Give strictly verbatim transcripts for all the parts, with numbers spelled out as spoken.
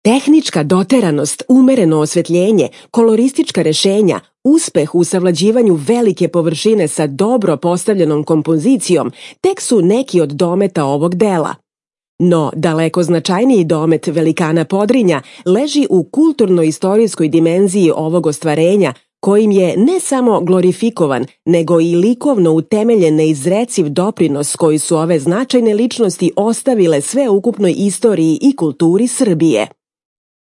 Tehnička doteranost, umereno osvetljenje, koloristička rešenja, uspeh u savlađivanju velike površine sa dobro postavljenom kompozicijom tek su neki od dometa ovog dela. No, daleko značajniji domet velikana Podrinja leži u kulturno-istorijskoj dimenziji ovog ostvarenja, kojim je ne samo glorifikovan, nego i likovno utemeljen neizreciv doprinos koji su ove značajne ličnosti ostavile sveukupnoj istoriji i kulturi Srbije.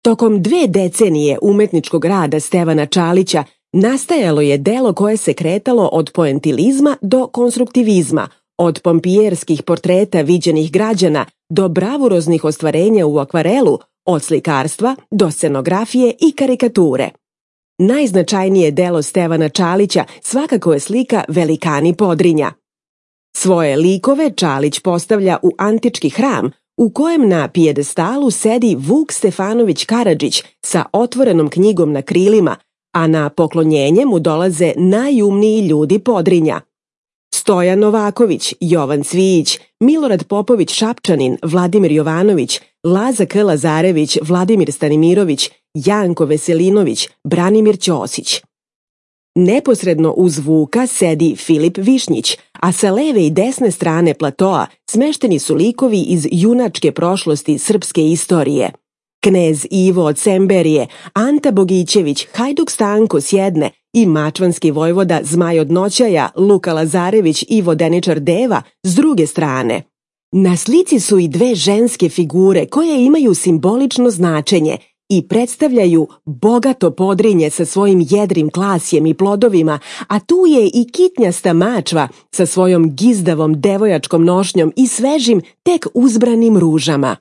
Tokom dve decenije umetničkog rada Stevana Čalića nastajalo je delo koje se kretalo od poentilizma do konstruktivizma, od pompijerskih portreta viđenih građana do bravuroznih ostvarenja u akvarelu, od slikarstva do scenografije i karikature. Najznačajnije delo Stevana Čalića svakako je slika Velikani Podrinja. Svoje likove Čalić postavlja u antički hram, u kojem na pijedestalu sedi Vuk Stefanović Karadžić sa otvorenom knjigom na krilima, a na poklonjenje mu dolaze najumniji ljudi Podrinja. Stojan Novaković, Jovan Cvijić, Milorad Popović Šapčanin, Vladimir Jovanović, Laza K. Lazarević, Vladimir Stanimirović, Janko Veselinović, Branimir Ćosić. Neposredno uz Vuka sedi Filip Višnjić, a sa leve i desne strane platoa smešteni su likovi iz junačke prošlosti srpske istorije. Knez Ivo od Semberije, Anta Bogićević, Hajduk Stanko s jedne i mačvanski vojvoda Zmaj od Noćaja, Luka Lazarević i vodeničar Deva s druge strane. Na slici su i dve ženske figure koje imaju simbolično značenje i predstavljaju bogato Podrinje sa svojim jedrim klasjem i plodovima, a tu je i kitnjasta mačva sa svojom gizdavom devojačkom nošnjom i svežim, tek uzbranim ružama.